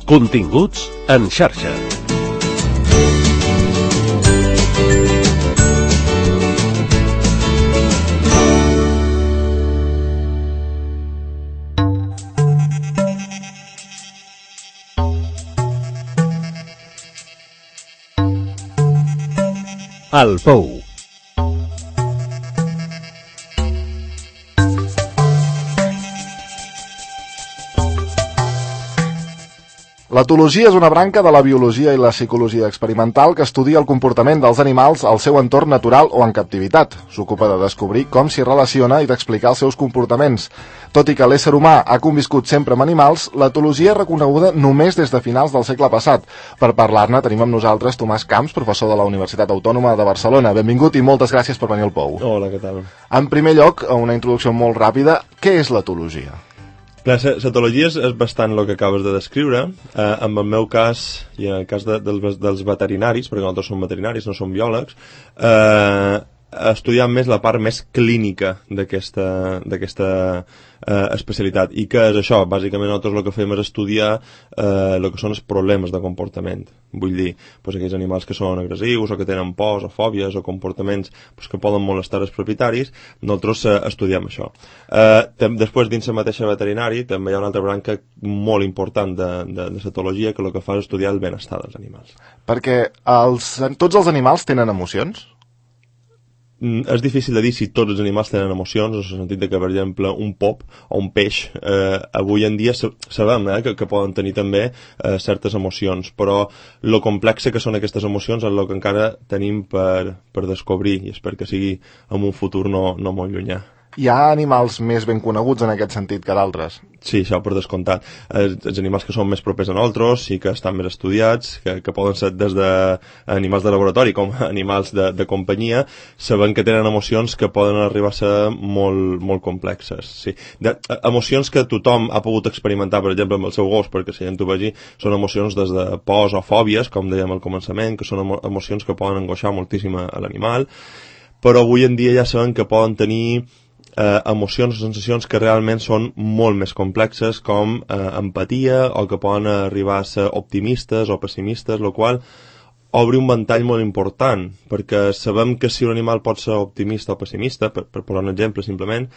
Continguts en xarxa. El Pou. L'etologia és una branca de la biologia i la psicologia experimental que estudia el comportament dels animals al seu entorn natural o en captivitat. S'ocupa de descobrir com s'hi relaciona i d'explicar els seus comportaments. Tot i que l'ésser humà ha conviscut sempre amb animals, l'etologia és reconeguda només des de finals del segle passat. Per parlar-ne tenim amb nosaltres Tomàs Camps, professor de la Universitat Autònoma de Barcelona. Benvingut i moltes gràcies per venir al Pou. Hola, què tal? En primer lloc, una introducció molt ràpida. Què és l'etologia? Clar, l'etologia és bastant el que acabes de descriure. En el meu cas, i en el cas dels veterinaris, perquè nosaltres som veterinaris, no som biòlegs, estudiant més la part més clínica d'aquesta especialitat. I què és això? Bàsicament nosaltres el que fem és estudiar el que són els problemes de comportament. Vull dir, aquells animals que són agressius o que tenen pors o fòbies o comportaments que poden molestar els propietaris, nosaltres estudiem això. Després, dins la mateixa veterinari, també hi ha una altra branca molt important de l'etologia que el que fa és estudiar el benestar dels animals. Perquè tots els animals tenen emocions? És difícil de dir si tots els animals tenen emocions, en el sentit que, per exemple, un pop o un peix, avui en dia sabem que poden tenir també certes emocions, però lo complexe que són aquestes emocions és el que encara tenim per descobrir, i espero que sigui en un futur no molt llunyà. Hi ha animals més ben coneguts en aquest sentit que d'altres? Sí, això per descomptat. Els animals que són més propers a nosaltres i que estan més estudiats, que poden ser des d'animals de laboratori com animals de companyia, sabem que tenen emocions que poden arribar a ser molt, molt complexes. Sí. Emocions que tothom ha pogut experimentar, per exemple, amb el seu gos, perquè si ja t'ho vegi, són emocions des de pors o fòbies, com dèiem al començament, que són emocions que poden angoixar moltíssim a l'animal, però avui en dia ja sabem que poden tenir emocions o sensacions que realment són molt més complexes, com empatia, o que poden arribar a ser optimistes o pessimistes, el qual obre un ventall molt important, perquè sabem que si un animal pot ser optimista o pessimista, per posar un exemple simplement,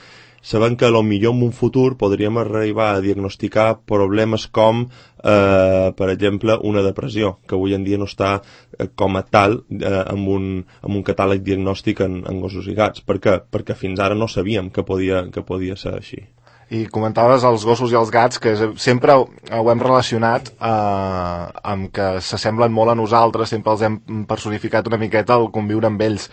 sabem que potser en un futur podríem arribar a diagnosticar problemes com, per exemple, una depressió, que avui en dia no està com a tal amb un catàleg diagnòstic en gossos i gats. Per què? Perquè fins ara no sabíem que podia ser així. I comentaves els gossos i els gats, que sempre ho hem relacionat amb que s'assemblen molt a nosaltres, sempre els hem personificat una miqueta al conviure amb ells.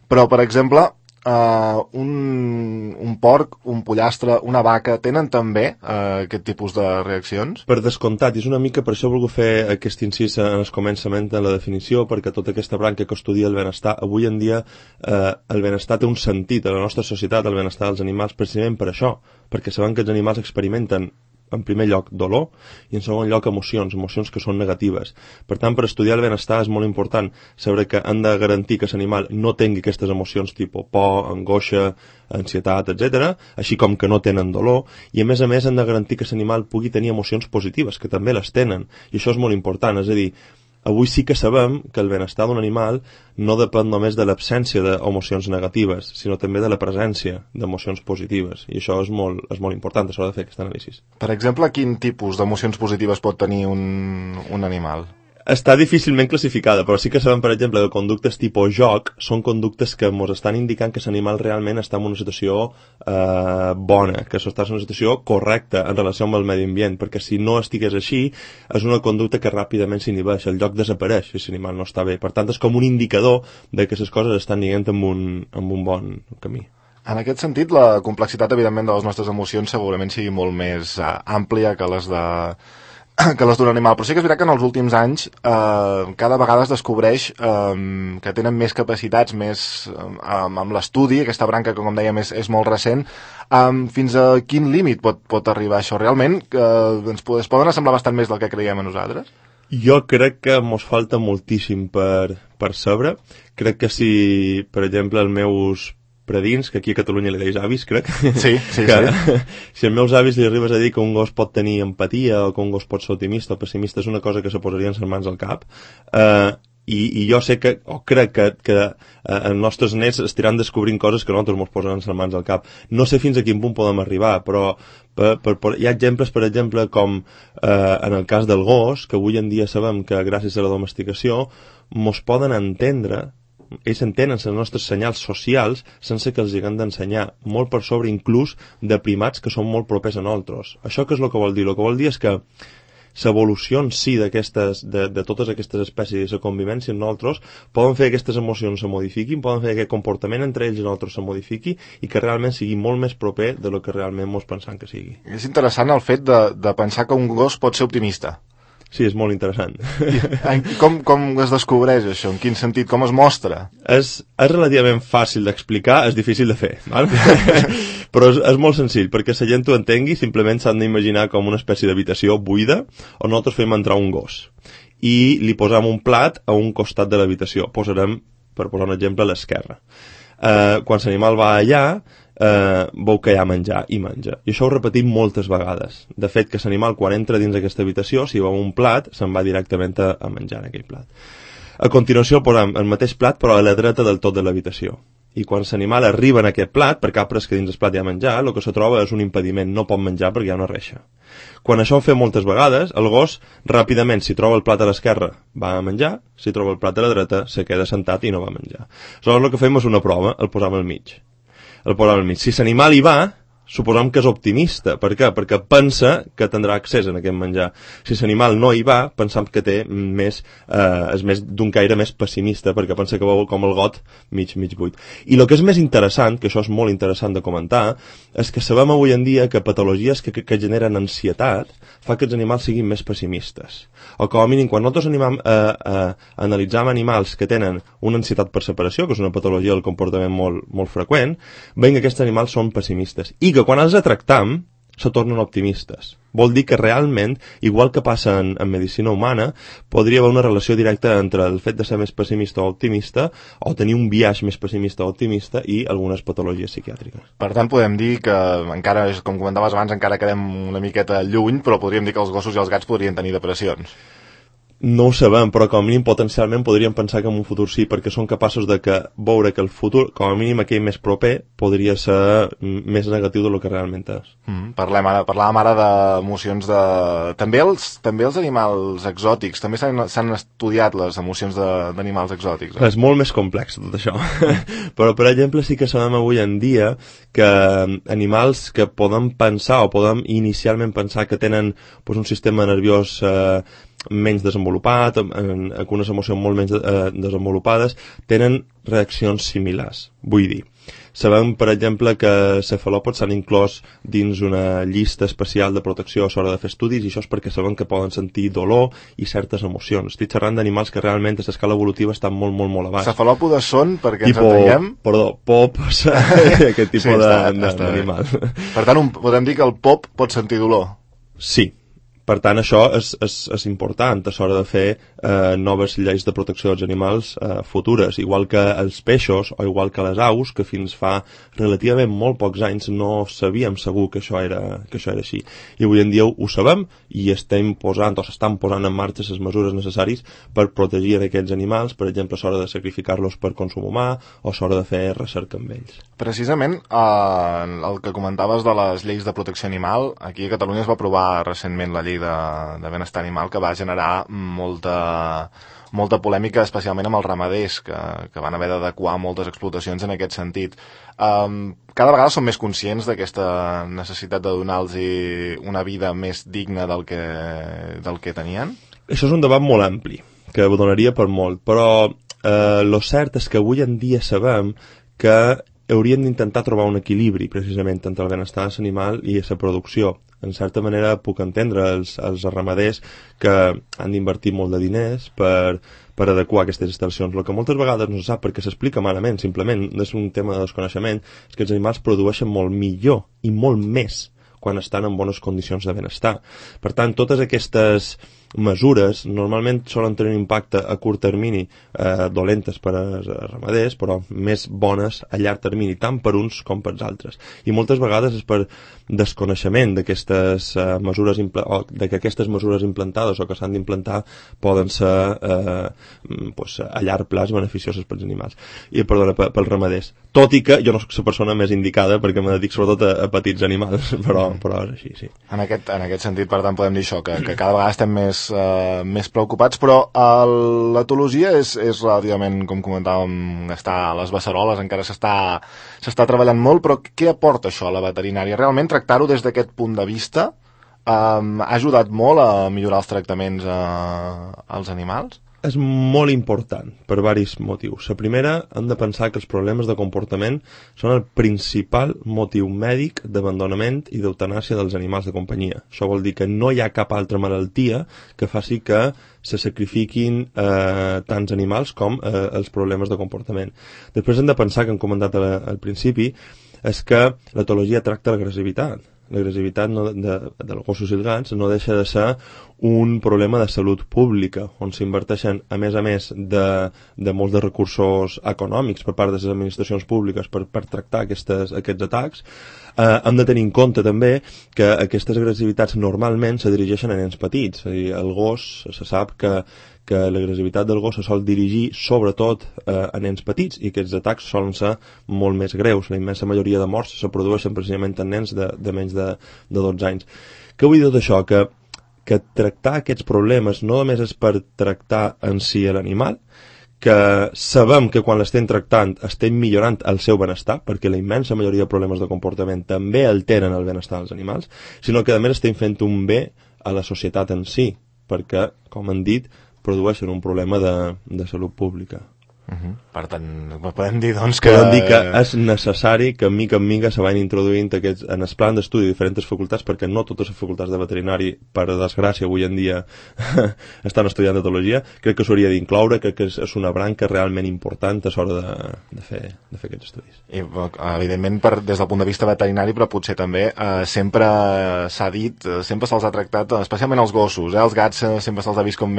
Però, per exemple, un porc, un pollastre, una vaca, tenen també aquest tipus de reaccions? Per descomptat, i és una mica per això he volgut fer aquest incís en el començament de la definició, perquè tota aquesta branca que estudia el benestar, avui en dia el benestar té un sentit a la nostra societat, el benestar dels animals, precisament per això, perquè sabem que els animals experimenten en primer lloc dolor i en segon lloc emocions que són negatives. Per tant, per estudiar el benestar és molt important saber que han de garantir que l'animal no tingui aquestes emocions tipus por, angoixa, ansietat, etc., així com que no tenen dolor, i a més han de garantir que l'animal pugui tenir emocions positives, que també les tenen, i això és molt important. És a dir, avui sí que sabem que el benestar d'un animal no depèn només de l'absència d'emocions negatives, sinó també de la presència d'emocions positives. I això és molt important, això de fer aquest anàlisi. Per exemple, quin tipus d'emocions positives pot tenir un animal? Està difícilment classificada, però sí que sabem, per exemple, que conductes tipus joc són conductes que ens estan indicant que l'animal realment està en una situació bona, que està en una situació correcta en relació amb el medi ambient, perquè si no estigués així, és una conducta que ràpidament s'inhibeix, el joc desapareix si l'animal no està bé. Per tant, és com un indicador de que les coses estan anant en un bon camí. En aquest sentit, la complexitat, evidentment, de les nostres emocions segurament sigui molt més àmplia que les d'un animal, però sí que és veritat que en els últims anys cada vegada es descobreix que tenen més capacitats, més amb l'estudi, aquesta branca que com dèiem és molt recent. Fins a quin límit pot arribar això? Realment es poden assemblar bastant més del que creiem a nosaltres? Jo crec que mos falta moltíssim per saber. Crec que si, per exemple, els meus predins, que aquí a Catalunya li deis avis, crec. Sí. Si als meus avis li arribes a dir que un gos pot tenir empatia o que un gos pot ser optimista o pessimista, és una cosa que se posarien les mans al cap. I jo sé que, o crec que els nostres nets estiran descobrint coses que nosaltres ens posaran les mans al cap. No sé fins a quin punt podem arribar, però hi ha exemples, per exemple, com en el cas del gos, que avui en dia sabem que gràcies a la domesticació mos poden entendre, ells entenen els nostres senyals socials sense que els haguem d'ensenyar, molt per sobre inclús de primats que són molt propers a nosaltres. Això què és el que vol dir? El que vol dir és que l'evolució en si de totes aquestes espècies i la convivència en nosaltres poden fer que aquestes emocions se modifiquin, poden fer que el comportament entre ells i nosaltres se modifiqui i que realment sigui molt més proper de lo que realment ens pensam que sigui. És interessant el fet de pensar que un gos pot ser optimista. Sí, és molt interessant. Com es descobreix això? En quin sentit? Com es mostra? És relativament fàcil d'explicar, és difícil de fer, val? Però és molt senzill, perquè la gent ho entengui, simplement s'han d'imaginar com una espècie d'habitació buida on nosaltres fem entrar un gos i li posam un plat a un costat de l'habitació. Posarem, per posar un exemple, a l'esquerra. Quan l'animal va allà, veu que hi ha menjar i menja. I això ho repetim moltes vegades. De fet, que l'animal quan entra dins aquesta habitació, si veu un plat, se'n va directament a menjar en aquell plat. A continuació posam el mateix plat però a la dreta del tot de l'habitació. I quan l'animal arriba en aquest plat, perquè ha pres que dins el plat hi ha menjar, el que se troba és un impediment, no pot menjar perquè hi ha una reixa. Quan això ho fem moltes vegades, el gos ràpidament, si troba el plat a l'esquerra, va a menjar, si troba el plat a la dreta, se queda sentat i no va a menjar. Aleshores el que fem és una prova, el posam al mig. Si l'animal hi va, suposam que és optimista. Per què? Perquè pensa que tindrà accés a aquest menjar. Si l'animal no hi va, pensam que té és més d'un caire més pessimista, perquè pensa que veu com el got mig buit. I el que és més interessant, que això és molt interessant de comentar, és que sabem avui en dia que patologies que generen ansietat fa que els animals siguin més pessimistes. O com a mínim, quan nosaltres analitzam animals que tenen una ansietat per separació, que és una patologia del comportament molt freqüent, veiem que aquests animals són pessimistes. I que quan els tractam se tornen optimistes. Vol dir que realment, igual que passa en medicina humana, podria haver una relació directa entre el fet de ser més pessimista o optimista o tenir un biaix més pessimista o optimista i algunes patologies psiquiàtriques. Per tant, podem dir que encara, com comentaves abans, encara quedem una miqueta lluny, però podríem dir que els gossos i els gats podrien tenir depressions. No ho sabem, però com a mínim potencialment podríem pensar que en un futur sí, perquè són capaços de veure que el futur, com a mínim aquell més proper, podria ser més negatiu del que realment és. Parlàvem ara d'emocions de... També els animals exòtics, també s'han estudiat les emocions d'animals exòtics. És molt més complex tot això. Però, per exemple, sí que sabem avui en dia que animals que podem pensar o podem inicialment pensar que tenen un sistema nerviós menys desenvolupat, amb unes emocions molt menys desenvolupades, tenen reaccions similars. Vull dir, sabem, per exemple, que cefalòpods s'han inclòs dins una llista especial de protecció a l'hora de fer estudis, i això és perquè sabem que poden sentir dolor i certes emocions. Estic xerrant d'animals que realment a l'escala evolutiva estan molt a baix. Cefalòpodes són, perquè ens entenguem... Pops, aquest tipus d'animal. Per tant, podem dir que el pop pot sentir dolor? Sí. Per tant, això és important a l'hora de fer noves lleis de protecció dels animals futures, igual que els peixos o igual que les aus, que fins fa relativament molt pocs anys no sabíem segur que això era així. I avui en dia ho sabem i s'estan posant en marxa les mesures necessàries per protegir aquests animals, per exemple, a l'hora de sacrificar-los per consum humà o a l'hora de fer recerca amb ells. Precisament, el que comentaves de les lleis de protecció animal, aquí a Catalunya es va aprovar recentment la llei de benestar animal, que va generar molta polèmica, especialment amb els ramaders, que van haver d'adequar moltes explotacions en aquest sentit. Cada vegada som més conscients d'aquesta necessitat de donar-los una vida més digna del que tenien? Això és un debat molt ampli, que donaria per molt, però lo cert és que avui en dia sabem que hauríem d'intentar trobar un equilibri precisament entre el benestar de l'animal i la producció. En certa manera puc entendre els ramaders que han d'invertir molt de diners per adequar aquestes instal·lacions. El que moltes vegades no se sap perquè s'explica malament, simplement és un tema de desconeixement, és que els animals produeixen molt millor i molt més quan estan en bones condicions de benestar. Per tant, totes aquestes mesures normalment solen tenir un impacte a curt termini dolentes per als ramaders, però més bones a llarg termini, tant per uns com per altres. I moltes vegades és per desconeixement d'aquestes mesures de que aquestes mesures implantades o que s'han d'implantar poden ser a llarg plaç beneficioses pels animals i pels ramaders. Tot i que jo no soc la persona més indicada perquè me dedico sobretot a petits animals, però és així, sí. En aquest sentit, per tant, podem dir això, que cada vegada estem més preocupats, però l'etologia és relativament, com comentàvem, està a les beceroles, encara s'està treballant molt, però què aporta això a la veterinària? Realment tractar-ho des d'aquest punt de vista ha ajudat molt a millorar els tractaments als animals? És molt important per diversos motius. La primera, hem de pensar que els problemes de comportament són el principal motiu mèdic d'abandonament i d'eutanàsia dels animals de companyia. Això vol dir que no hi ha cap altra malaltia que faci que se sacrifiquin tants animals com els problemes de comportament. Després hem de pensar, que hem comentat al principi, és que l'etologia tracta l'agressivitat. L'agressivitat dels gossos i els gats no deixa de ser un problema de salut pública, on s'inverteixen, a més de molts de recursos econòmics per part de les administracions públiques per tractar aquests atacs. Hem de tenir en compte també que aquestes agressivitats normalment se dirigeixen a nens petits. És a dir, el gos, se sap que l'agressivitat del gos se sol dirigir sobretot a nens petits i aquests atacs solen ser molt més greus. La immensa majoria de morts se produeixen precisament en nens de menys de 12 anys. Què vull dir tot això? Que tractar aquests problemes no només és per tractar en si l'animal, que sabem que quan l'estem tractant estem millorant el seu benestar, perquè la immensa majoria de problemes de comportament també alteren el benestar dels animals, sinó que a més estem fent un bé a la societat en si, perquè, com han dit, produeixen un problema de salut pública. Per tant, podem dir doncs que... Podem dir que és necessari que mica en mica se vagin introduint en el plan d'estudi de diferents facultats, perquè no totes les facultats de veterinari, per desgràcia, avui en dia estan estudiant etologia. Crec que s'hauria d'incloure, crec que és una branca realment important a l'hora de fer aquests estudis. I, evidentment, des del punt de vista veterinari, però potser també sempre s'ha dit, sempre se'ls ha tractat, especialment els gossos, els gats sempre se'ls ha vist com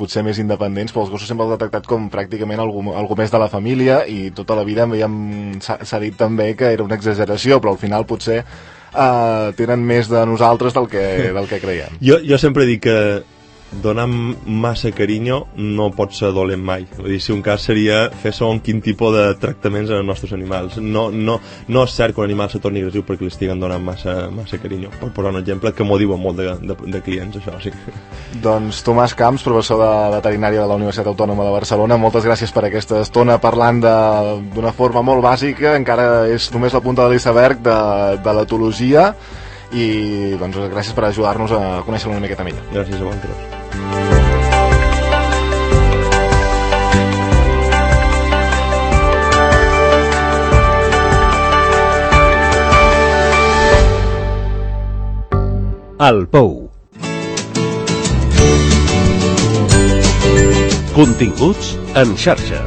potser més independents, però els gossos sempre els ha tractat com pràcticament algú més de la família, i tota la vida s'ha dit també que era una exageració, però al final potser tenen més de nosaltres del que creiem. Jo sempre dic que donar massa carinyo no pot ser dolent mai. Vull dir, si un cas seria fer segons quin tipus de tractaments als nostres animals. No és cert que un animal se torni agressiu perquè li estiguen donant massa carinyo. Per posar un exemple que m'ho diuen molt de clients, això sí. Doncs Tomàs Camps, professor de veterinària de la Universitat Autònoma de Barcelona, moltes gràcies per aquesta estona parlant d'una forma molt bàsica, encara és només la punta de l'iceberg de l'etologia, i doncs gràcies per ajudar-nos a conèixer una miqueta millor. Gràcies a vosaltres. El Pou. Continguts en xarxa.